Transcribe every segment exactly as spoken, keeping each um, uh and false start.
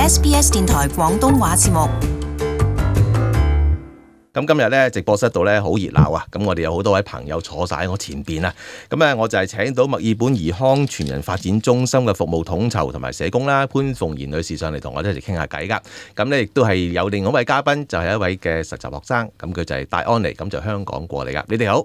S B S 電台廣東話節目。咁今日咧直播室度咧好熱鬧啊！咁我哋有好多位朋友坐晒喺我前邊啊！咁咧我就係請到墨爾本怡康全人發展中心嘅服務統籌同埋社工啦，潘鳳賢女士上嚟同我哋一齊傾下偈噶。咁咧亦都係有另外一位嘉賓，就係一位嘅實習學生，咁佢就係戴安妮，咁就香港過嚟噶。你哋好。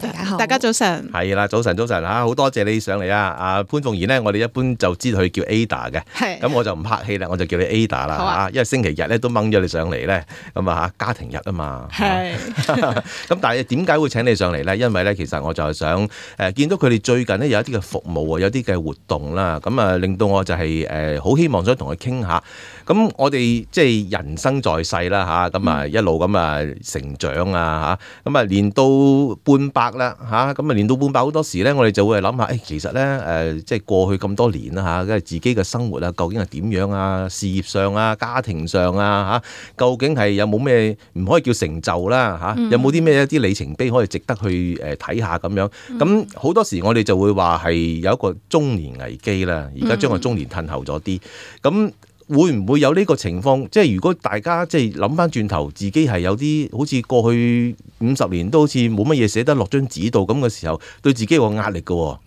大家好，大家早晨。係啦，早晨早晨嚇，好多謝你上嚟啊！阿潘鳳賢呢，我哋一般就知道佢叫 Ada 嘅，咁我就唔客氣啦，我就叫你 Ada 啦嚇、啊，因為星期日咧都掹咗你上嚟咧，咁啊嚇家庭日啊嘛。係。咁但係點解會請你上嚟咧？因為咧其實我就係想誒、呃、見到佢哋最近咧有一啲嘅服務啊，有啲嘅活動啦，咁啊令到我就係誒好希望想同佢傾下。咁我哋即係人生在世啦嚇，咁啊一路咁啊成長啊嚇，咁啊練到半百啦嚇，咁啊練到半百好多時咧，我哋就會諗下，誒、哎、其實咧誒、呃、即係過去咁多年啦嚇，即係自己嘅生活啊，究竟係點樣啊？事業上啊，家庭上啊嚇，究竟係有冇咩唔可以叫成就啦嚇？有冇啲咩一啲里程碑可以值得去誒睇下咁樣？咁好多時我哋就會話係有一個中年危機啦，而家將個中年褪後咗啲，咁。會唔會有呢個情況？即係如果大家即係諗翻轉頭，自己係有啲好似過去五十年都好似冇乜嘢寫得落張紙度咁嘅時候，對自己有個壓力嘅喎。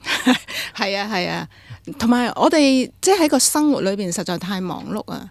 係啊係啊，同埋我哋即係喺個生活裏邊實在太忙碌啊！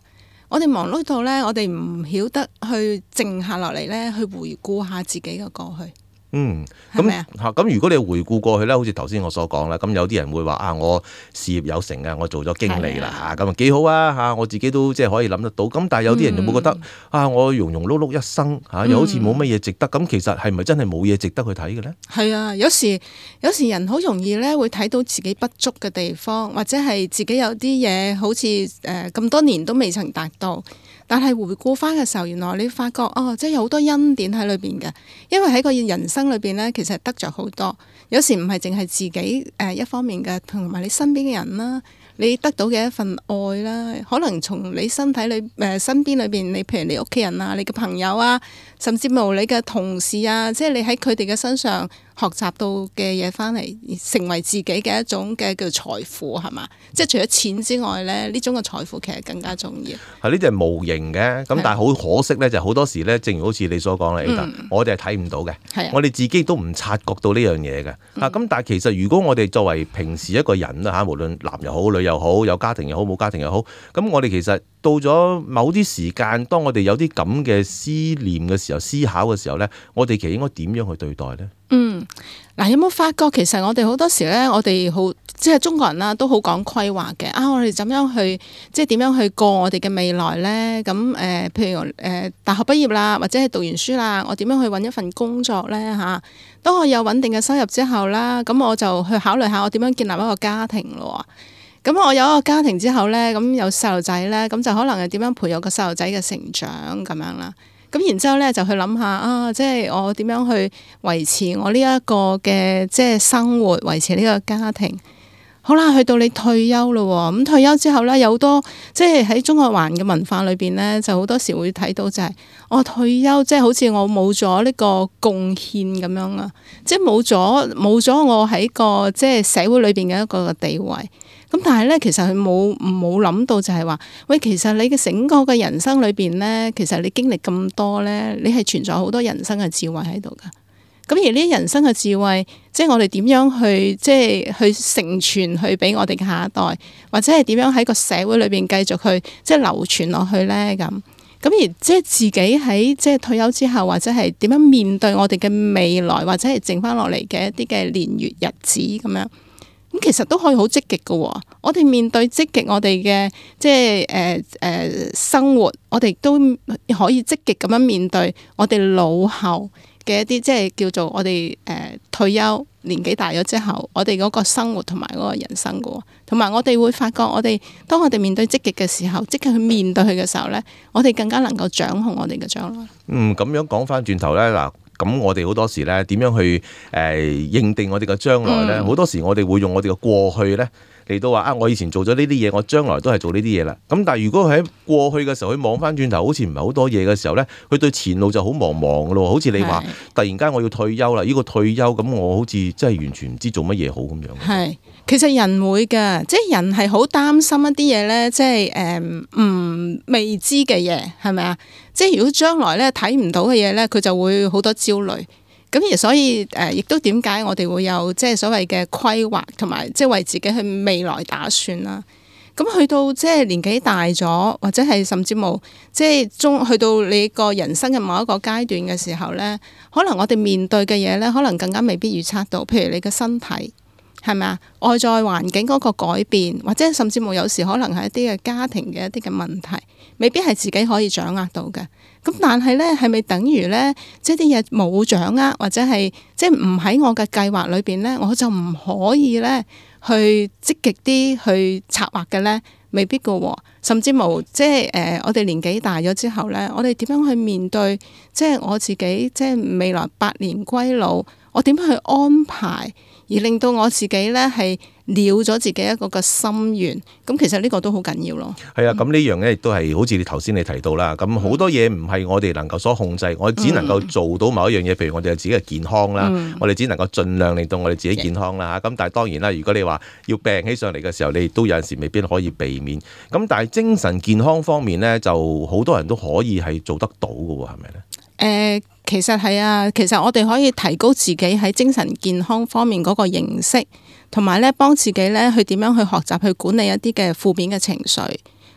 我哋忙碌到咧，我哋唔曉得去靜下落嚟咧，去回顧下自己嘅過去。嗯，咁嚇咁如果你回顧過去咧，好似頭先我所講啦，咁有啲人會話啊，我事業有成啊，我做咗經理啦嚇，咁啊幾好啊嚇，我自己都即係可以諗得到。咁但係有啲人就會覺得、嗯、啊，我庸庸碌碌一生嚇、啊，又好似冇乜嘢值得。咁、嗯、其實係咪真係冇嘢值得去睇嘅咧？係啊，有時有時人好容易咧會睇到自己不足嘅地方，或者係自己有啲嘢好似誒咁多年都未曾達到。但係回顧翻嘅時候，原來你發覺哦，即係有好多恩典喺裏邊嘅，因為喺個人生裏邊咧，其實得着好多。有時唔係淨係自己誒、呃、一方面嘅，同埋你身邊嘅人啦，你得到嘅一份愛啦，可能從你身體裏誒、呃、身邊裏邊，你譬如你屋企人啊，你嘅朋友啊，甚至乎你嘅同事啊，即係你喺佢哋嘅身上學習到嘅嘢翻嚟，成為自己嘅一種嘅叫財富係嘛？即係除咗錢之外咧，呢種嘅財富其實更加重要。係呢啲係無形嘅，咁但係好可惜咧，就好多時咧，正如好似你所講啦、嗯，我哋係睇唔到嘅，我哋自己都唔察覺到呢樣嘢嘅。啊、嗯，咁但係其實如果我哋作為平時一個人啦嚇，無論男又好、女又好，有家庭又好、冇家庭又好，咁我哋其實到咗某啲時間，當我哋有啲咁嘅思念嘅時候、思考嘅時候咧，我哋其實應該點樣去對待咧？嗯，嗱，有冇發覺其實我哋好多時咧，我哋好即係中國人啦，都好講規劃嘅啊！我哋點樣去即係點樣去過我哋嘅未來咧？咁誒、呃，譬如誒、呃、大學畢業啦，或者係讀完書啦，我點樣去揾一份工作咧？嚇、啊，當我有穩定嘅收入之後啦，咁我就去考慮下我點樣建立一個家庭咯。咁我有一個家庭之後咧，咁有細路仔咧，咁就可能係點樣培養個細路仔嘅成長咁樣啦。咁然之後咧就去諗下啊，即係我點樣去維持我呢一個嘅即係生活，維持呢個家庭。好啦，去到你退休咯，咁退休之後咧，有好多即係喺中國環嘅文化裏邊咧，就好多時會睇到就係、是、我退休，即係好似我冇咗呢個貢獻咁樣啊，即係冇咗冇咗我喺個即係社會裏邊嘅一個地位。咁但係咧，其實佢冇冇諗到就係話，喂，其實你嘅整個嘅人生裏邊咧，其實你經歷咁多咧，你係存在好多人生嘅智慧喺度噶。咁而呢啲人生嘅智慧，即係我哋點樣去即係去承傳去俾我哋嘅下一代，或者係點樣喺個社會裏邊繼續去即係流傳落去咧咁。咁而即係自己喺即係退休之後，或者係點樣面對我哋嘅未來，或者係剩翻落嚟嘅一啲嘅年月日子咁樣。咁其實都可以好積極嘅喎，我哋面對積極我哋嘅即係誒誒生活，我哋都可以積極咁樣面對我哋老後嘅一啲即係叫做我哋誒、呃、退休年紀大咗之後，我哋嗰個生活同埋嗰個人生嘅喎，同埋我哋會發覺我哋當我哋面對積極嘅時候，積極去面對佢嘅時候咧，我哋更加能夠掌控我哋嘅將來。嗯，咁樣講翻轉頭咧嗱。咁我哋好多時咧點樣去誒、呃、認定我哋嘅將來咧？好、嗯、多時我哋會用我哋嘅過去咧嚟到話啊，我以前做咗呢啲嘢，我將來都係做呢啲嘢啦。咁但係如果佢喺過去嘅時候，佢望翻轉頭，好似唔係好多嘢嘅時候咧，佢對前路就好茫茫噶咯。好似你話突然間我要退休啦，呢、呢個退休咁，我好似真係完全唔知做乜嘢好咁樣。係，其實人會㗎，即係人係好擔心一啲嘢咧，即係誒唔未知嘅嘢，係咪啊？即係如果將來咧睇唔到嘅嘢咧，佢就會好多焦慮。咁而所以誒，亦、呃、都點解我哋會有即係所謂嘅規劃同埋即係為自己去未來打算啦。咁去到即係年紀大咗，或者係甚至冇即係中去到你個人生嘅某一個階段嘅時候咧，可能我哋面對嘅嘢咧，可能更加未必預測到。譬如你嘅身體係咪啊？外在環境嗰個改變，或者甚至冇有時可能係一啲嘅家庭嘅一啲嘅問題，未必係自己可以掌握到嘅。咁但係咧，係咪等於咧，即係啲嘢冇掌握，或者係即係唔喺我嘅計劃裏邊咧，我就唔可以咧去積極啲去策劃嘅咧？未必㗎喎，甚至冇即係誒、呃，我哋年紀大咗之後咧，我哋點樣去面對即係我自己即係未來百年歸老，我點樣去安排，而令到我自己咧係了咗自己一個個心願，咁其實呢個都好緊要咯。係啊，咁呢樣咧亦都係好似你頭先你提到啦，咁好多嘢唔係我哋能夠所控制，我只能夠做到某一樣嘢，譬如我哋自己嘅健康啦，嗯、我哋只能夠盡量令到我哋自己健康啦嚇。咁但係當然啦，如果你話要病起上嚟嘅時候，你都有陣時未必可以避免。咁但係精神健康方面咧，就好多人都可以係做得到嘅喎，係咪咧？誒、呃，其實係啊，其實我哋可以提高自己喺精神健康方面嗰個認識。同埋咧，幫自己咧去點樣去學習去管理一啲嘅負面嘅情緒，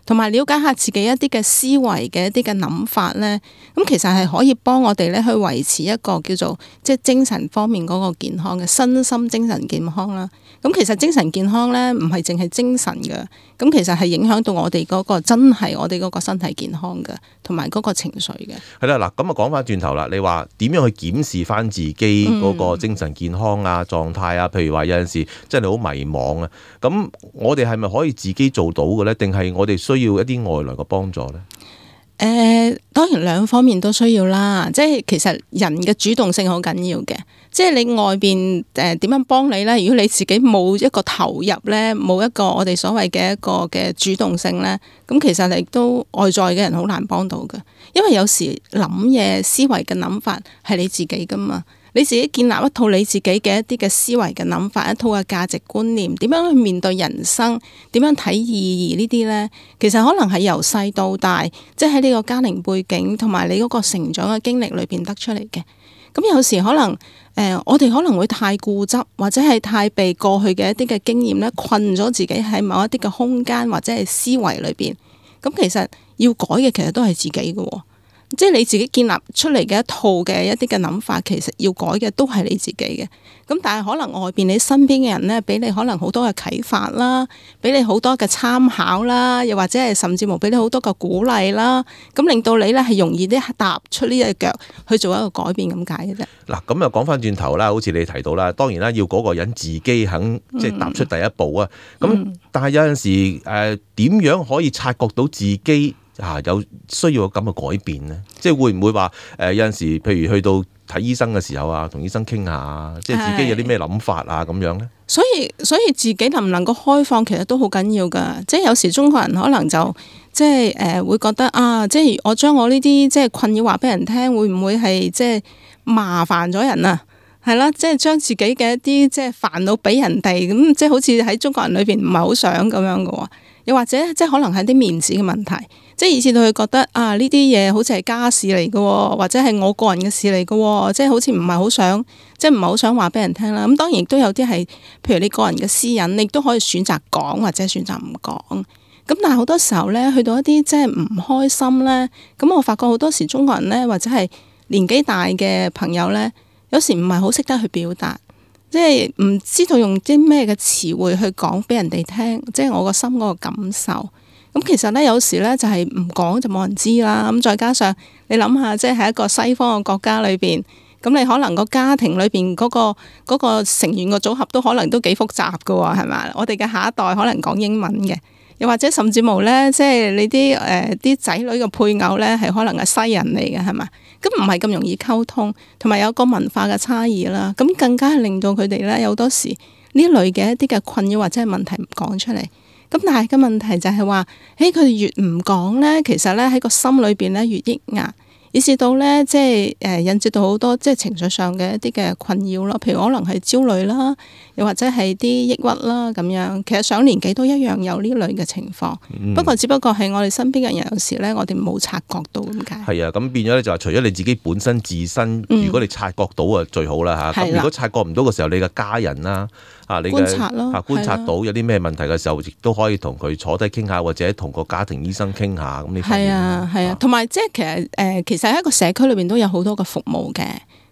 同埋了解下自己一啲嘅思維嘅一啲嘅諗法咧，咁其實係可以幫我哋咧去維持一個叫做即係精神方面嗰個健康嘅身心精神健康啦。咁其實精神健康咧唔係淨係精神嘅，咁其實係影響到我哋嗰個真係我哋嗰個身體健康嘅，同埋嗰個情緒嘅。係啦，嗱咁啊講翻轉頭啦，你話點樣去檢視翻自己嗰個精神健康啊、嗯、狀態啊？譬如話有陣時真係好迷茫啊，咁我哋係咪可以自己做到嘅咧？定係我哋需要一啲外來嘅幫助咧？誒、呃，當然兩方面都需要啦，即係其實人嘅主動性好緊要嘅，即係你外邊誒點樣幫你咧？如果你自己冇一個投入咧，冇一個我哋所謂嘅一個嘅主動性咧，咁其實你都外在嘅人好難幫到嘅，因為有時諗嘢思維嘅諗法係你自己噶嘛。你自己建立一套你自己嘅一啲嘅思維嘅諗法，一套嘅價值觀念，點樣去面對人生，點樣睇意義呢啲呢？其實可能係由細到大，即係喺呢個家庭背景同埋你嗰個成長嘅經歷裏邊得出嚟嘅。咁有時可能誒、呃，我哋可能會太固執，或者係太被過去嘅一啲嘅經驗咧困咗自己喺某一啲嘅空間或者係思維裏邊。咁其實要改嘅其實都係自己嘅喎。即係你自己建立出嚟嘅一套嘅一啲嘅諗法，其實要改嘅都係你自己嘅。咁但係可能外邊你身邊嘅人咧，俾你可能好多嘅啟發啦，俾你好多嘅參考啦，又或者係甚至乎俾你好多嘅鼓勵啦，咁令到你咧係容易啲踏出呢隻腳去做一個改變咁解嘅啫。嗱，咁又講翻轉頭啦，好似你提到啦，當然啦，要嗰個人自己肯即係踏出第一步啊。咁、嗯、但係有陣時誒，點、呃、樣可以察覺到自己？啊，有需要有咁嘅改變咧，即係會唔會話誒、呃、有陣時，譬如去到睇醫生嘅時候啊，同醫生傾下，即係自己有啲咩諗法啊咁樣咧？所以所以自己能唔能夠開放，其實都好緊要噶。即係有時中國人可能就即係誒、呃、會覺得啊，即係我將我呢啲即係困擾話俾人聽，會唔會係即係麻煩咗人啊？係啦，即係將自己嘅一啲即係煩惱俾人哋，咁即係好似喺中國人裏邊唔係好想咁樣噶。又或者即係可能係啲面子嘅問題，即係以至到佢覺得啊呢啲嘢好似係家事嚟嘅，或者係我個人嘅事嚟嘅，即係好似唔係好想，即係唔係好想話俾人聽啦。咁當然亦都有啲係，譬如你個人嘅私隱，你都可以選擇講或者選擇唔講。咁但係好多時候咧，去到一啲即係唔開心咧，咁我發覺好多時中國人咧，或者係年紀大嘅朋友咧，有時唔係好識得去表達。即係唔知道用啲咩嘅詞彙去講俾人哋聽，即係我個心嗰個感受。咁其實咧，有時咧就係唔講就冇人知啦。咁再加上你諗下，即係喺一個西方嘅國家裏邊，咁你可能個家庭裏邊嗰個嗰個成員個組合都可能都幾複雜㗎喎，係咪？我哋嘅下一代可能講英文嘅，又或者甚至冇咧，即係你啲誒啲仔女嘅配偶咧係可能係西人嚟嘅，係咪？咁唔係咁容易溝通，同埋有個文化嘅差異啦。咁更加係令到佢哋咧有好多時，呢類嘅一啲嘅困擾或者係問題唔講出嚟。咁但係個問題就係話，誒佢哋越唔講咧，其實咧喺個心裏邊咧越抑壓。以至到咧，即係誒引致到好多即係情緒上嘅一啲嘅困擾咯。譬如可能係焦慮啦，又或者係啲抑鬱啦咁樣。其實上年紀都一樣有呢類嘅情況。嗯、不過只不過係我哋身邊嘅人有時咧，我哋冇察覺到咁解。係啊，咁變咗咧就係除咗你自己本身自身，如果你察覺到啊最好啦嚇。咁、嗯、如果察覺唔到嘅時候，你嘅家人啦。啊！你觀察咯，啊觀察到有啲咩問題嘅時候，亦都可以同佢坐低傾下，或者同個家庭醫生傾下咁呢方面。係啊，係啊，同埋即係其實誒、呃，其實喺一個社區裏邊都有好多嘅服務嘅。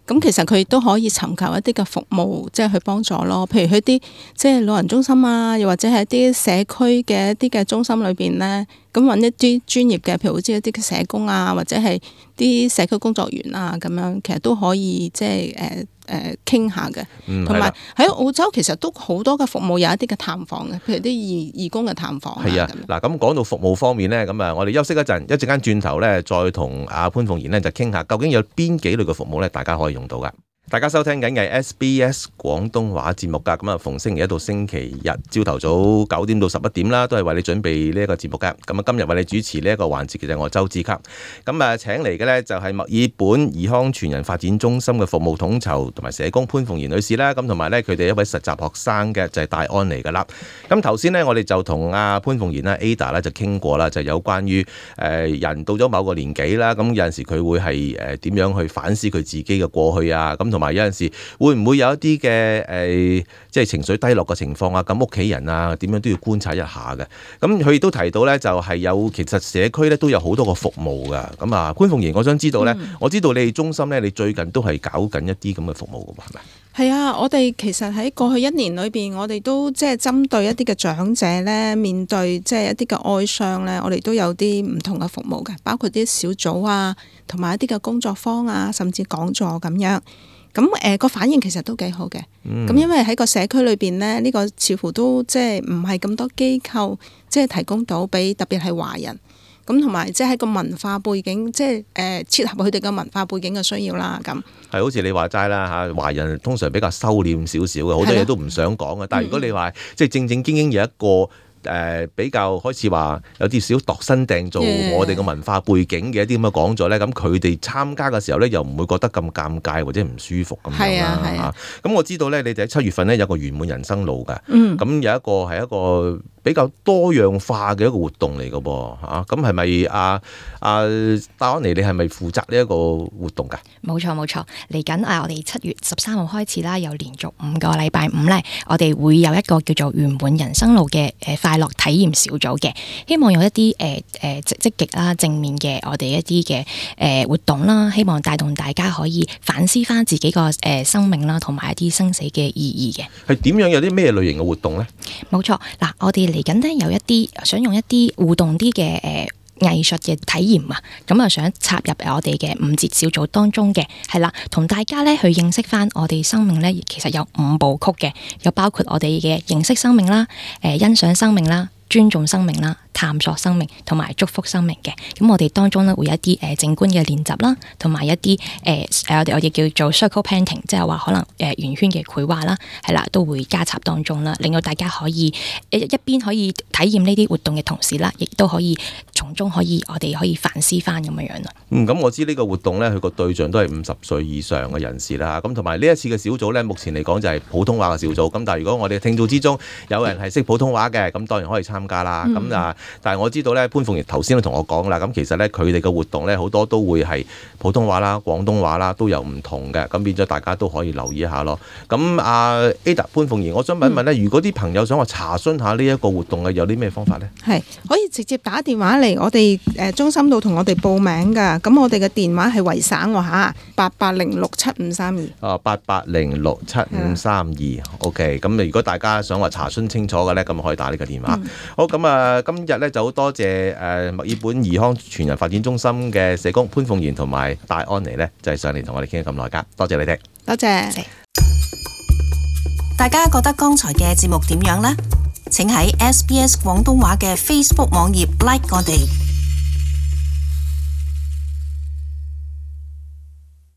咁其實佢亦都可以尋求一啲嘅服務，即係去幫助咯。譬如去啲即係老人中心啊，又或者係一啲社區嘅一啲嘅中心裏邊咧，咁揾一啲專業嘅，譬如好似一啲嘅社工啊，或者係啲社區工作員啊咁樣，其實都可以即係誒誒傾下嘅。同埋喺澳洲其實都好多嘅服務有一啲嘅探訪嘅，譬如啲義義工嘅探訪。係啊，嗱咁講到服務方面咧，咁啊我哋休息一陣，一陣間轉頭咧再同阿潘鳳賢咧就傾下，究竟有邊幾類嘅服務咧，大家可以用到噶。大家收聽緊嘅 S B S 廣東話節目㗎，咁啊逢星期一到星期日朝頭早九點到十一點啦，都係為你準備呢一個節目㗎。咁啊今日為你主持呢一個環節嘅就係我周志級。咁啊請嚟嘅咧就係墨爾本兒康全人發展中心嘅服務統籌同埋社工潘鳳賢女士啦。咁同埋咧佢哋一位實習學生嘅就係戴安嚟㗎啦。咁頭先咧我哋就同阿潘鳳賢啦 Ada 咧就傾過啦，就有關於誒人到咗某個年紀啦，咁有陣時佢會係誒點樣去反思佢自己嘅過去啊，咁同埋有陣時會唔會有一啲嘅誒，即係情緒低落嘅情況啊？咁屋企人啊，點樣都要觀察一下嘅。咁佢亦都提到咧，就係有其實社區咧都有好多個服務㗎。咁啊，潘鳳賢，我想知道咧，嗯、我知道你哋中心咧，你最近都係搞緊一啲咁嘅服務㗎嘛？係咪？係啊，我哋其實喺過去一年裏邊，我哋都即係針對一啲嘅長者咧，面對即係一啲嘅哀傷咧，我哋都有啲唔同嘅服務嘅，包括啲小組啊，同埋一啲嘅工作坊啊，甚至講座咁樣。咁誒個反應其實都幾好嘅。咁、嗯、因為喺個社區裏邊咧，呢、這個似乎都即係唔係咁多機構即係提供到俾特別係華人。咁同埋即係喺個文化背景，即係誒切合佢哋嘅文化背景嘅需要啦。咁係好似你話齋啦嚇，華人通常比較收斂少少嘅，好多嘢都唔想講嘅。但係如果你話即係正正經經有一個誒、呃、比較開始話有啲少度身訂做我哋嘅文化背景嘅一啲咁嘅講座咧，咁佢哋參加嘅時候咧，又唔會覺得咁尷尬或者唔舒服咁樣啦嚇。咁、啊啊、我知道咧，你哋喺七月份咧有個圓滿人生路㗎，咁、嗯、有一個係一個比較多樣化嘅一個活動嚟㗎噃嚇。咁係咪阿阿戴安妮你係咪負責呢一個活動㗎？冇錯冇錯，嚟緊啊！我哋七月十三號開始啦，有連續五個禮拜五咧，我哋會有一個叫做圓滿人生路嘅誒快樂體驗小組嘅，希望有一啲誒誒積積極啦、正面嘅我哋一啲嘅誒活動啦，希望帶動大家可以反思翻自己個誒生命啦，同埋一啲生死嘅意義嘅。係點樣有啲咩類型嘅活動咧？冇錯，嗱，我哋嚟緊咧有一啲想用一啲互動啲嘅誒藝術嘅體驗啊，咁啊想插入我哋嘅五節小組當中嘅，係啦，同大家咧去認識翻我哋生命咧，其實有五部曲嘅，有包括我哋嘅認識生命啦、誒、呃、欣賞生命啦、尊重生命啦、探索生命同埋祝福生命嘅。咁我哋當中咧會有一啲誒靜觀嘅練習啦，同埋一啲誒誒我哋我哋叫做 circle painting，即係話可能誒圓圈嘅繪畫啦，係啦都會加插當中啦，令到大家可以一一邊可以體驗呢啲活動嘅同時啦，亦都可以從中可以我哋可以反思翻咁樣樣咯。嗯，咁我知呢個活動咧，佢個對象都係五十歲以上嘅人士啦。咁同埋呢一次嘅小組咧，目前嚟講就係普通話嘅小組。咁但係如果我哋嘅聽眾之中有人係識普通話嘅，咁當然可以參加啦。咁、嗯、啊，但係我知道咧，潘鳳賢頭先都同我講啦。咁其實咧，佢哋嘅活動咧好多都會係普通話啦、廣東話啦都有唔同嘅。咁變咗大家都可以留意一下咯。咁啊 Ada 潘鳳賢，我想問一問咧，嗯、如果啲朋友想話查詢下呢一個活動嘅，有啲咩方法咧？係可以直接打電話嚟我哋誒中心度同我哋報名㗎。咁我哋嘅電話係維省喎嚇，八八零六七五三二。哦，八八零六七五三二。OK，咁如果大家想話查詢清楚嘅咧，咁可以打呢個電話。嗯、好，咁啊，今日咧就好多謝誒墨爾本兒康全人發展中心嘅社工潘鳳賢同埋戴安妮咧，就係上嚟同我哋傾咗咁耐㗎。多謝你哋。多謝。大家覺得剛才嘅節目點樣呢？請喺 S B S 廣東話嘅 Facebook 網頁 like 我哋。